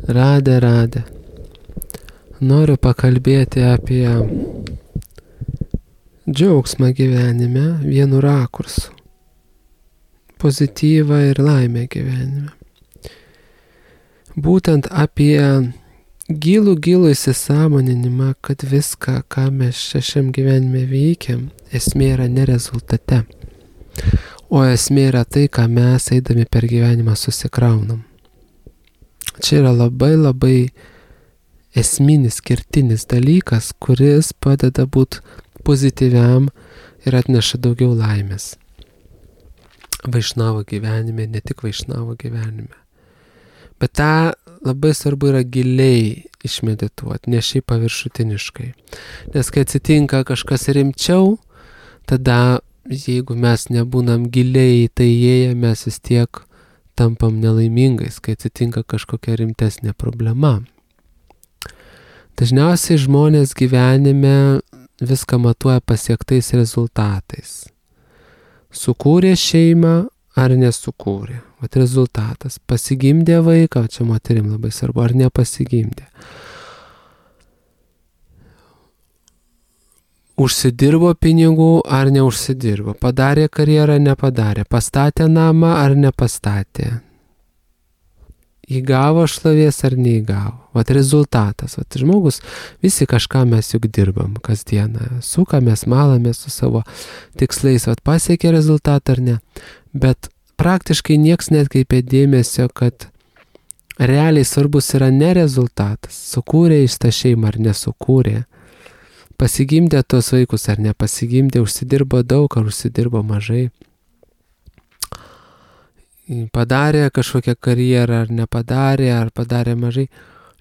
Radė. Noriu pakalbėti apie džiaugsmą gyvenime vienu rakursu. Pozityvą ir laimę gyvenime. Būtent apie gilų įsisąmoninimą, kad viską, ką mes šiam gyvenime veikiam, esmė yra ne rezultate, o esmė yra tai, ką mes eidami per gyvenimą susikraunam. Čia yra labai esminis, kertinis dalykas, kuris padeda būti pozityviam ir atneša daugiau laimės. Vaišnavo gyvenime, ne tik vaišnavo gyvenime. Bet tą labai svarbu yra giliai išmedituoti, ne šiaip paviršutiniškai. Nes kai atsitinka kažkas rimčiau, tada jeigu mes nebūnam giliai į tai įėję, mes vis tiek tampam nelaimingais, kai atsitinka kažkokia rimtesnė problema. Dažniausiai žmonės gyvenime viską matuoja pasiektais rezultatais. Sukūrė šeimą ar nesukūrė. Vat rezultatas. Pasigimdė vaiką, čia moterim labai svarbu, ar nepasigimdė. Užsidirbo pinigų ar neužsidirbo. Padarė karjerą, nepadarė. Pastatė namą ar nepastatė. Įgavo šlovės ar neįgavo. Vat rezultatas. Vat žmogus, visi kažką mes juk dirbam kasdieną. Sukamės, malamės su savo tikslais. Vat pasiekė rezultatą ar ne. Bet praktiškai nieks netkreipia dėmesio, kad realiai svarbus yra ne rezultatas. Sukūrė jis tą šeimą ar nesukūrė. Pasigimdė tuos vaikus ar nepasigimdė. Užsidirbo daug ar užsidirbo mažai. Padarė kažkokią karjerą ar nepadarė, ar padarė mažai.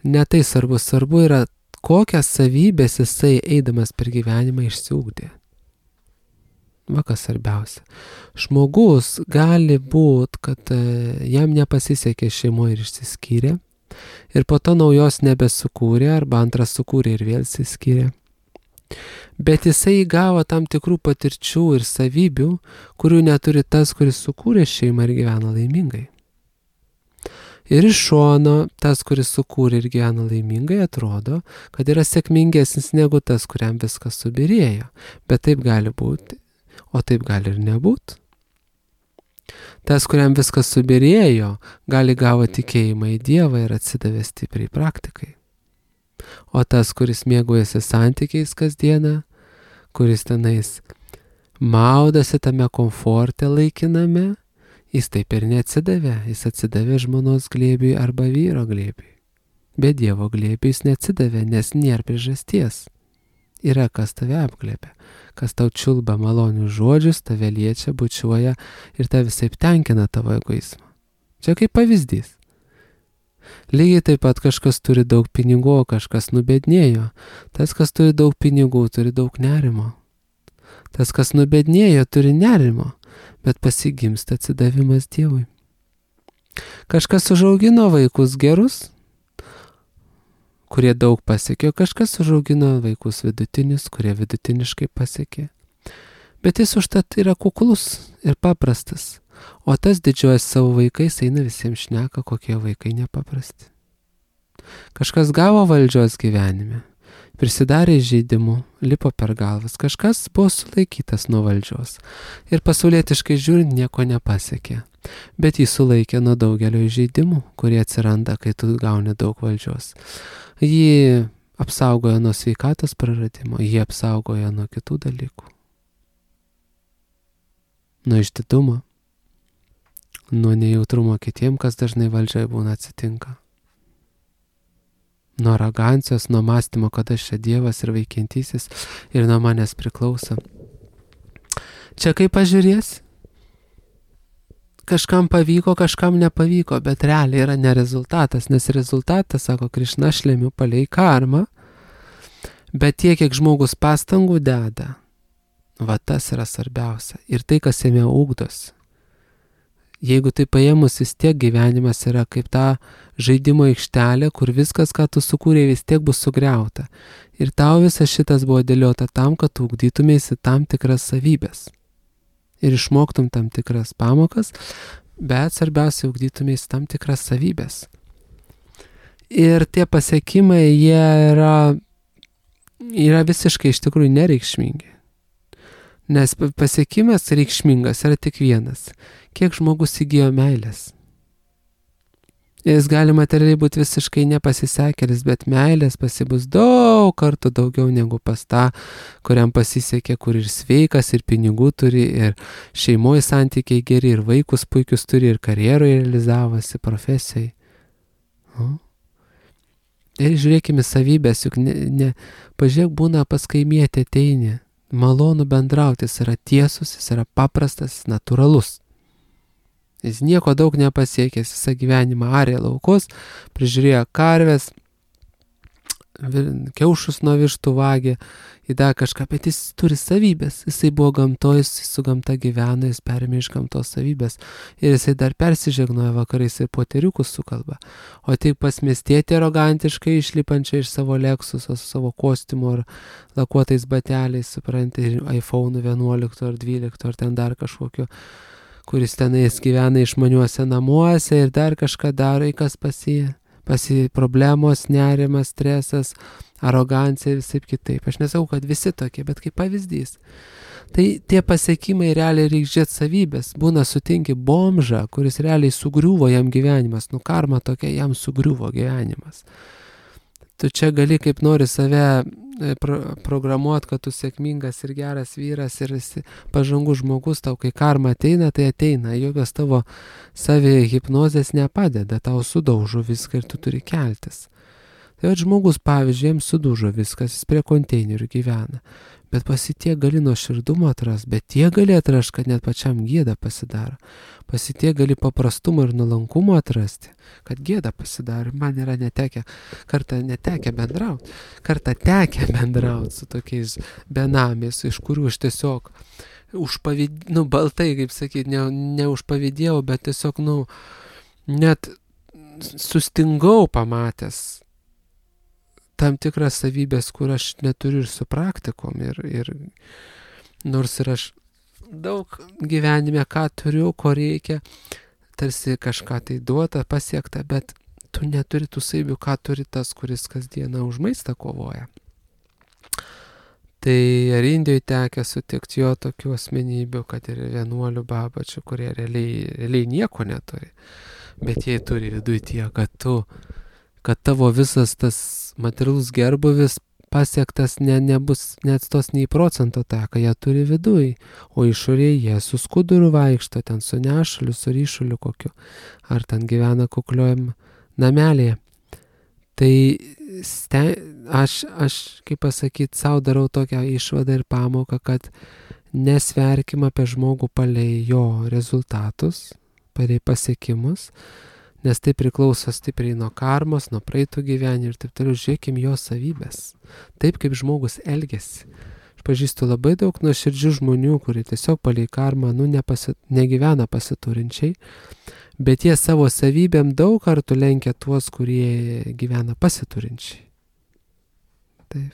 Ne tai svarbu. Svarbu yra, kokias savybės jisai eidamas per gyvenimą išsiugdė. Va kas svarbiausia. Žmogus gali būt, kad jam nepasisekė šeimoje ir išsiskyrė. Ir po to naujos nebesukūrė, arba antras sukūrė ir vėl išsiskyrė. Bet jisai įgavo tam tikrų patirčių ir savybių, kurių neturi tas, kuris sukūrė šeimą ir gyvena laimingai. Ir iš šono tas, kuris sukūrė ir gyvena laimingai, atrodo, kad yra sėkmingesnis negu tas, kuriam viskas subirėjo. Bet taip gali būti, o taip gali ir nebūti. Tas, kuriam viskas subirėjo, gali gavo tikėjimą į Dievą ir atsidavė stipriai praktikai. O tas, kuris mėgaujasi santykiais kasdieną, kuris tenais maudasi tame komforte laikiname, jis taip ir neatsidavė. Jis atsidavė žmonos glėbiui arba vyro glėbiui. Be Dievo glėbiui jis neatsidavė, nes nėra priežasties. Yra kas tave apglėbia, kas tau čiulba malonius žodžius, tave liečia, bučiuoja ir tave visaip tenkina tavo egoizmą. Čia kaip pavyzdys. Lygiai taip pat kažkas turi daug pinigų, o kažkas nubednėjo. Tas, kas turi daug pinigų, turi daug nerimo. Tas, kas nubednėjo, turi nerimo, bet pasigimsta atsidavimas Dievui. Kažkas užaugino vaikus gerus, kurie daug pasiekė, kažkas užaugino vaikus vidutinius, kurie vidutiniškai pasiekė. Bet jis užtat yra kuklus ir paprastas. O tas didžiuojas savo vaikais, eina visiems šneka, kokie vaikai nepaprasti. Kažkas gavo valdžios gyvenime, prisidarė įžeidimų, lipo per galvas, kažkas buvo sulaikytas nuo valdžios ir pasaulietiškai žiūrint nieko nepasiekė, bet jį sulaikė nuo daugelio įžeidimų, kurie atsiranda, kai tu gauni daug valdžios. Jį apsaugojo nuo sveikatos praradimo, jį apsaugojo nuo kitų dalykų, nuo išdidumo, nuo nejautrumo kitiem, kas dažnai valdžioje būna atsitinka. Nuo arogancijos, nuo mąstymo, kad aš čia Dievas ir veikiantysis ir nuo manęs priklauso. Čia kaip pažiūrės, kažkam pavyko, kažkam nepavyko, bet realiai yra ne rezultatas, nes rezultatas, sako Krišna, aš lemiu palei karmą, bet tiek, kiek žmogus pastangų deda, va tas yra svarbiausia. Ir tai, kas jame ugdosi. Jeigu tai paėmus, vis tiek gyvenimas yra kaip ta žaidimo aikštelė, kur viskas, ką tu sukūrei, vis tiek bus sugriauta. Ir tau visas šitas buvo dėliota tam, kad tu ugdytumėsi tam tikras savybės. Ir išmoktum tam tikras pamokas, bet svarbiausia ugdytumėsi tam tikras savybės. Ir tie pasiekimai, jie yra visiškai iš tikrųjų nereikšmingi. Nes pasiekimas reikšmingas yra tik vienas. Kiek žmogus įgijo meilės. Jis gali materialiai būti visiškai nepasisekėlis, bet meilės pasibus daug kartų daugiau negu pas tą, kuriam pasisekė, kur ir sveikas, ir pinigų turi, ir šeimoje santykiai geri, ir vaikus puikius turi, ir karjeroje realizavosi, profesijai. Ir žiūrėkime savybės, juk pažiūrėk, būna pas kaimietį ateini, malonu bendrauti, jis yra tiesus, jis yra paprastas, natūralus. Jis nieko daug nepasiekęs, visą gyvenimą arė laukus, prižiūrėjo karves, kiaušus nuo vištų vagė, įdėjo kažką, bet jis turi savybės. Jisai buvo gamtoje, jis su gamta gyveno, jis perėmė iš gamtos savybės. Ir jisai dar persižegnoja vakarais ir poteriukus sukalba. O tik pas miestietį arogantiškai išlipančią iš savo Lexuso, su savo kostiumu ar lakuotais bateliais, supranti, ir iPhone 11 ar 12 ar ten dar kažkokio, kuris tenais gyvena išmaniuose namuose ir dar kažką daro, į kas pasi problemos, nerimas, stresas, arogancija ir visai kitaip. Aš nesakau, kad visi tokie, bet kaip pavyzdys. Tai tie pasiekimai realiai reikia žiūrėti savybės. Būna sutinki bomžą, kuris realiai sugriuvo jam gyvenimas. Karma tokia, jam sugriuvo gyvenimas. Tu čia gali kaip nori save programuoti, kad tu sėkmingas ir geras vyras ir esi pažangus žmogus, tau kai karma ateina, tai ateina. Jokios tavo savi hipnozės nepadeda, tau sudaužo viską ir tu turi keltis. Tai žmogus, pavyzdžiui, jiems sudaužo viskas, jis prie konteinerių gyvena. Bet pasitie gali nuo širdumo atras, bet tie gali atrast, kad net pačiam gėda pasidaro. Pasitie gali paprastumo ir nuolankumo atrasti, kad gėda pasidaro. Man yra kartą tekę bendrauti su tokiais benamiais, iš kurių aš tiesiog baltai, kaip sakyti, ne užpavydėjau, bet tiesiog, net sustingau pamatęs tam tikras savybės, kur aš neturiu ir su praktikom. Ir nors ir aš daug gyvenime, ką turiu, ko reikia, tarsi kažką tai duota, pasiekta, bet tu neturi tų savybių, ką turi tas, kuris kasdieną už maistą kovoja. Tai ar Indijoje tekę sutikti jo tokių asmenybių, kad ir vienuolių babačių, kurie realiai nieko neturi, bet jie turi viduje tiek, kad tavo visas tas materialus gerbuvis pasiektas nebus net tos nei procento tą, ką jie turi viduj, o išorėje jie su skuduru vaikšto, ten su nešuliu, su ryšuliu kokiu, ar ten gyvena kukliojam namelėje. Tai aš kaip pasakyti, savo darau tokią išvadą ir pamoką, kad nesverkim apie žmogų palei jo rezultatus, palei pasiekimus, nes tai priklauso stipriai nuo karmos, nuo praeitų gyvenimų ir taip toliau. Žiūrėkim jo savybės. Taip kaip žmogus elgiasi. Aš pažįstu labai daug nuoširdžių žmonių, kurie tiesiog palei karmą negyvena pasiturinčiai, bet jie savo savybėm daug kartų lenkia tuos, kurie gyvena pasiturinčiai. Taip.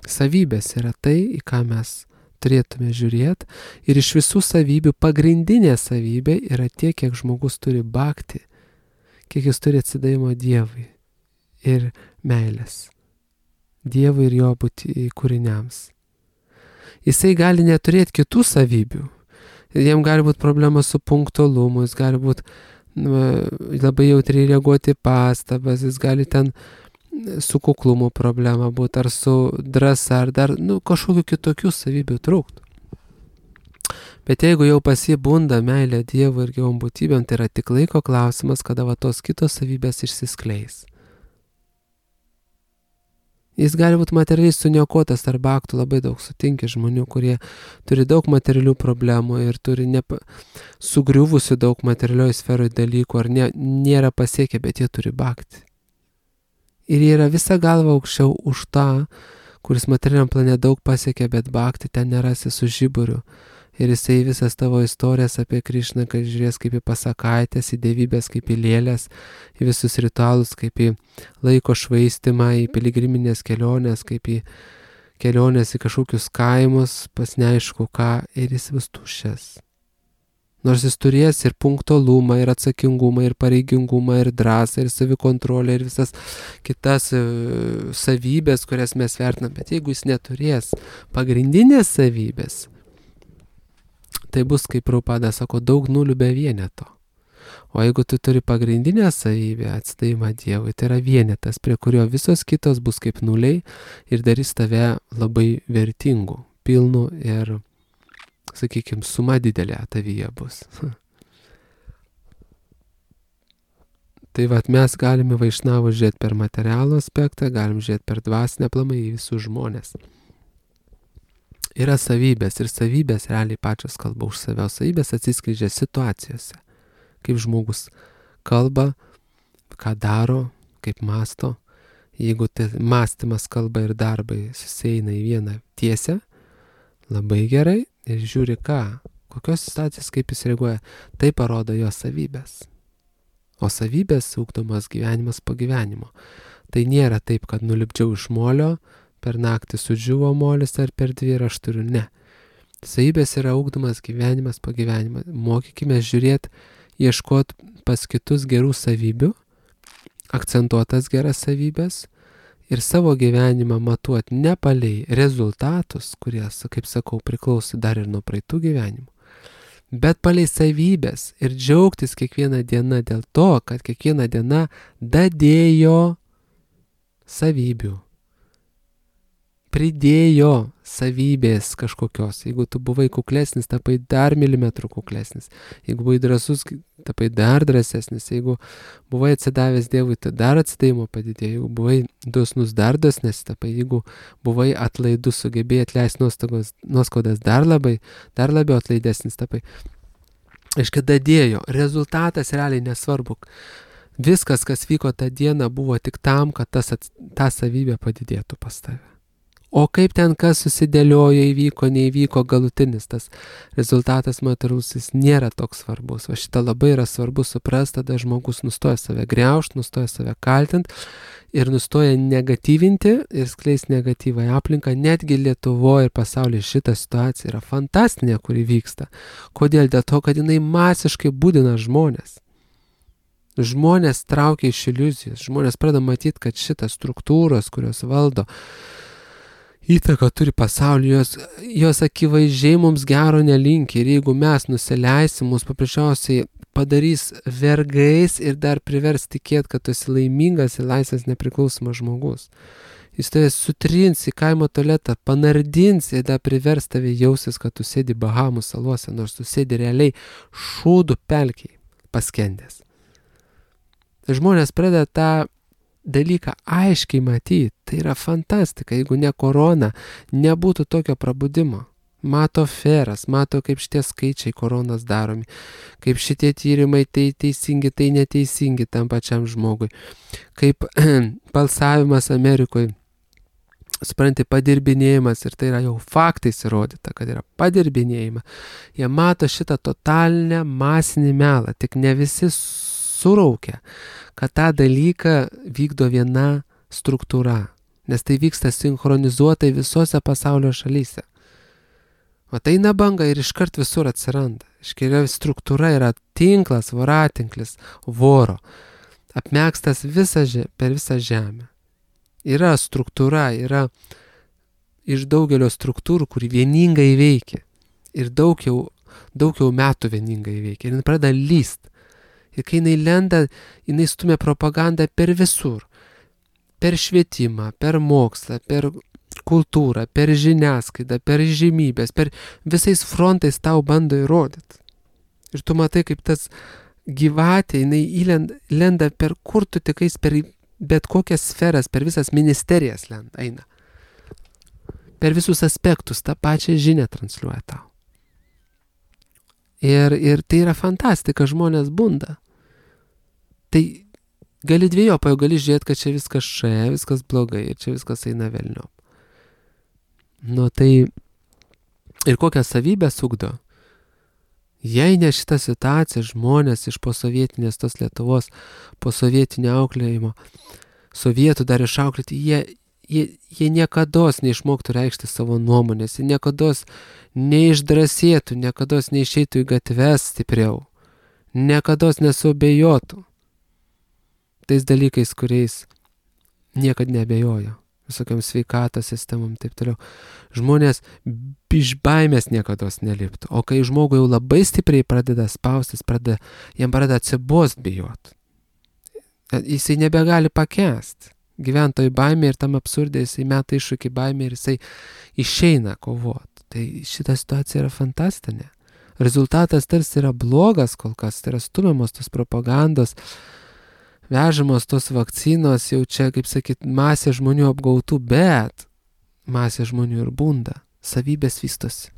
Savybės yra tai, į ką mes turėtume žiūrėti, ir iš visų savybių pagrindinė savybė yra tiek, kiek žmogus turi bhakti, kiek jis turi atsidavimo Dievui ir meilės. Dievui ir jo būti kūriniams. Jisai gali neturėti kitų savybių. Jiem gali būti problema su punktualumu, jis gali būti labai jautriai reaguoti pastabas, jis gali ten su kuklumu problema būti, ar su drąsa, ar dar kažkokių kitokių savybių trūktų. Bet jeigu jau pasibunda meilė Dievui ir gyvom būtybėm, tai yra tik laiko klausimas, kada tos kitos savybės išsiskleis. Jis gali būti materialiai suniokotas tarp aktų, labai daug sutinki žmonių, kurie turi daug materialių problemų ir turi sugriuvusių daug materialioje sferoje dalykų, ar nėra pasiekę, bet jie turi bhakti. Ir jie yra visa galva aukščiau už tą, kuris materialiam plane daug pasiekė, bet bhakti ten nerasi su žiburiu. Ir jisai visas tavo istorijas apie Krišną, kad žiūrės kaip į pasakaitės, į dievybės, kaip į lėlės, į visus ritualus, kaip į laiko švaistimą, į piligriminės kelionės, kaip į kelionės į kažkokius kaimus, pas neaišku ką, ir jis bus tuščias. Nors jis turės ir punktualumą, ir atsakingumą, ir pareigingumą, ir drąsą, ir savikontrolę, ir visas kitas savybės, kurias mes vertinam. Bet jeigu jis neturės pagrindinės savybės, tai bus, kaip Prabhupada sako, daug nulių be vieneto. O jeigu tu turi pagrindinę savybę, atsidavimą Dievui, tai yra vienetas, prie kurio visos kitos bus kaip nuliai ir darys tave labai vertingu, pilnu ir, sakykime, suma didelė tavyje bus. Tai vat mes galime Vaišnavų žiūrėti per materialų aspektą, galim žiūrėti per dvasinę aplamai į visus žmonės. Yra savybės ir savybės realiai pačios kalba už save, o savybės atsiskleidžia situacijose. Kaip žmogus kalba, ką daro, kaip masto. Jeigu tai mąstymas, kalba ir darbai susieina į vieną tiesę, labai gerai, ir žiūri ką, kokios situacijas, kaip jis reaguoja, tai parodo jo savybės. O savybės ugdomas gyvenimas po gyvenimo. Tai nėra taip, kad nulipdžiau iš molio, per naktį sudžiuvo molis ar per 2 ir aš turiu, ne. Savybės yra ugdomas gyvenimas po gyvenimo. Mokykime žiūrėti, ieškoti pas kitus gerų savybių, akcentuotas geras savybės, ir savo gyvenimą matuoti ne palei rezultatus, kurie, kaip sakau, priklauso dar ir nuo praeitų gyvenimų, bet palei savybės ir džiaugtis kiekvieną dieną dėl to, kad kiekvieną dieną dadėjo savybių, pridėjo savybės kažkokios. Jeigu tu buvai kuklesnis, tapai dar milimetrų kuklesnis. Jeigu buvai drąsus, tapai dar drąsesnis. Jeigu buvai atsidavęs Dievui, tai dar atsidavimo padidėjo. Jeigu buvai dosnus, dar dosnes tapai. Jeigu buvai atlaidus, sugebėjai atleisti nuoskaudas, dar labiau atlaidesnis tapai. Aiškiai, dadėjo. Rezultatas realiai nesvarbu. Viskas, kas vyko tą dieną, buvo tik tam, kad ta savybė padidėtų pas tave. O kaip ten kas susidėliojo, įvyko, neįvyko, galutinis tas rezultatas materialusis nėra toks svarbus. O šitą labai yra svarbu suprasti, tada žmogus nustoja save griaužti, nustoja save kaltinti ir nustoja negatyvinti ir skleisti negatyvą į aplinką. Netgi Lietuvoje ir pasaulyje šita situacija yra fantastinė, kuri vyksta. Kodėl? Dėl to, kad jinai masiškai būdina žmonės. Žmonės traukia iš iliuzijos. Žmonės pradeda matyti, kad šitas struktūros, kurios valdo, įtaką turi pasaulį, jos akivaizdžiai mums gero nelinki. Ir jeigu mes nusileisim, mus paprasčiausiai padarys vergais ir dar privers tikėti, kad tu esi laimingas ir laisvas nepriklausomas žmogus. Jis tave sutrins į kaimo tualetą, panardins ir dar privers tave jausis, kad tu sėdi Bahamų salose, nors tu sėdi realiai šūdų pelkiai paskendęs. Žmonės pradeda tą dalyką aiškiai matyti, tai yra fantastika, jeigu ne korona, nebūtų tokio prabudimo. Mato feras, mato, kaip šitie skaičiai koronas daromi, kaip šitie tyrimai tai teisingi, tai neteisingi tam pačiam žmogui, kaip balsavimas Amerikoje, supranti, padirbinėjimas, ir tai yra jau faktais įrodyta, kad yra padirbinėjima. Jie mato šitą totalinę masinį melą, tik ne visi suraukia, kad tą dalyką vykdo viena struktūra, nes tai vyksta sinchronizuotai visose pasaulio šalyse. O tai eina banga ir iškart visur atsiranda. Iškiria struktūra yra tinklas, voratinklis, voro, apmėgstas per visą žemę. Yra struktūra, yra iš daugelio struktūrų, kuri vieningai veikia. Ir daug jau metų vieningai veikia. Ir pradeda lyst. Ir kai jinai lenda, jinai stumia propagandą per visur. Per švietimą, per mokslą, per kultūrą, per žiniasklaidą, per žymybės, per visais frontais tau bando įrodyti. Ir tu matai, kaip tas gyvatė, jinai lenda per kur tu tikais, per bet kokias sferas, per visas ministerijas eina. Per visus aspektus tą pačią žinią transliuoja tau. Ir tai yra fantastika, žmonės bunda. Tai gali dviejopai, gali žiūrėti, kad čia viskas viskas blogai ir čia viskas eina velniop. Nu tai ir kokią savybę ugdo? Jei ne šitą situaciją, žmonės iš posovietinės tos Lietuvos, posovietinio auklėjimo, sovietų dar išauklėti, jie niekados neišmoktų reikšti savo nuomonės, jie niekados neišdrasėtų, niekados neišeitų į gatves stipriau, niekados nesuabejotų tais dalykais, kuriais niekad neabejojo, visokiam sveikatos sistemom, taip toliau. Žmonės iš baimės niekados neliptų, o kai žmogui jau labai stipriai pradeda spaustis, jam pradeda atsibost bijot. Jisai nebegali pakęsti. Gyventojų baimė ir tam absurdė, jisai meta iššūkį baimė ir jisai išeina kovoti. Tai šita situacija yra fantastinė. Rezultatas tarsi yra blogas kol kas, tai yra stumiamos tos propagandos, vežamos tos vakcinos, jau čia, kaip sakyt, masė žmonių apgautų, bet masė žmonių ir bunda, savybės vystosi.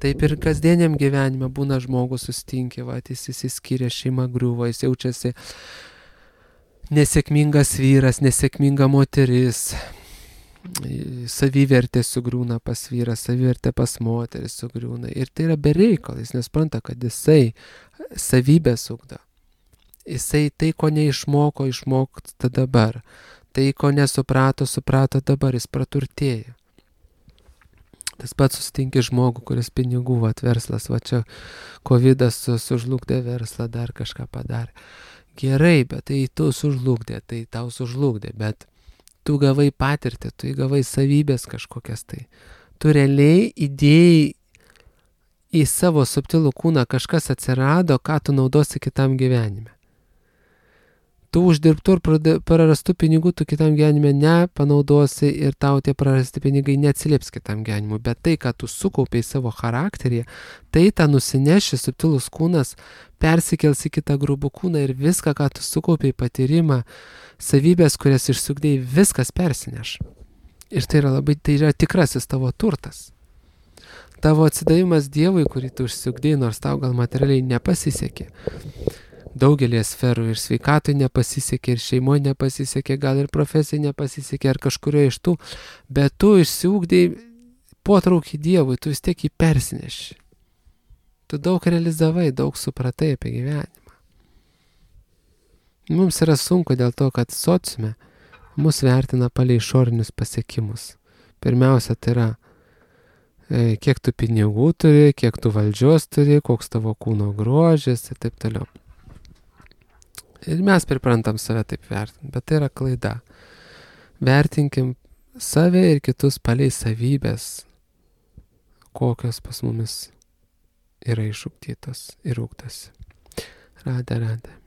Taip ir kasdieniam gyvenime būna žmogus sustinkė, jis įsiskyrė, šeima griuvo, jis jaučiasi nesėkmingas vyras, nesėkminga moteris, savivertė sugriūna pas vyrą, savivertė pas moteris sugriūna. Ir tai yra bereikal, jis nespranta, kad jisai savybės ugdo. Jisai tai, ko neišmoko, išmokta dabar. Tai, ko nesuprato, suprato dabar, jis praturtėja. Tas pats susitinki žmogų, kuris pinigų, verslas, čia covidas sužlugdė verslą, dar kažką padarė. Gerai, bet tai tu sužlugdė, tai tau sužlugdė, bet tu gavai patirtį, tu įgavai savybės kažkokias tai. Tu realiai įdėjai į savo subtilų kūną kažkas atsirado, ką tu naudosi kitam gyvenime. Tu uždirbtų ir prarastų pinigų tu kitam gyvenime nepanaudosi ir tau tie prarasti pinigai neatsilieps kitam gyvenimui, bet tai, ką tu sukaupiai savo charakterį, tai tą nusineši subtilus kūnas, persikels į kitą grubų kūną ir viską, ką tu sukaupiai patyrimą, savybės, kurias išsiugdėjai, viskas persineš. Ir tai yra tikrasis tavo turtas. Tavo atsidavimas Dievui, kurį tu išsiugdėjai, nors tau gal materialiai nepasisekė. Daugelį sferų ir sveikatui nepasisekė, ir šeimoje nepasisekė, gal ir profesijai nepasisekė, ar kažkurio iš tų, bet tu išsiugdėjai potraukį Dievui, tu vis tiek jį persineši. Tu daug realizavai, daug supratai apie gyvenimą. Mums yra sunku dėl to, kad sociume mus vertina palei išorinius pasiekimus. Pirmiausia, tai yra, kiek tu pinigų turi, kiek tu valdžios turi, koks tavo kūno grožis ir taip toliau. Ir mes priprantam save taip vertinti, bet tai yra klaida. Vertinkim save ir kitus palei savybės, kokios pas mumis yra išugdytos ir ugdosi. Radė.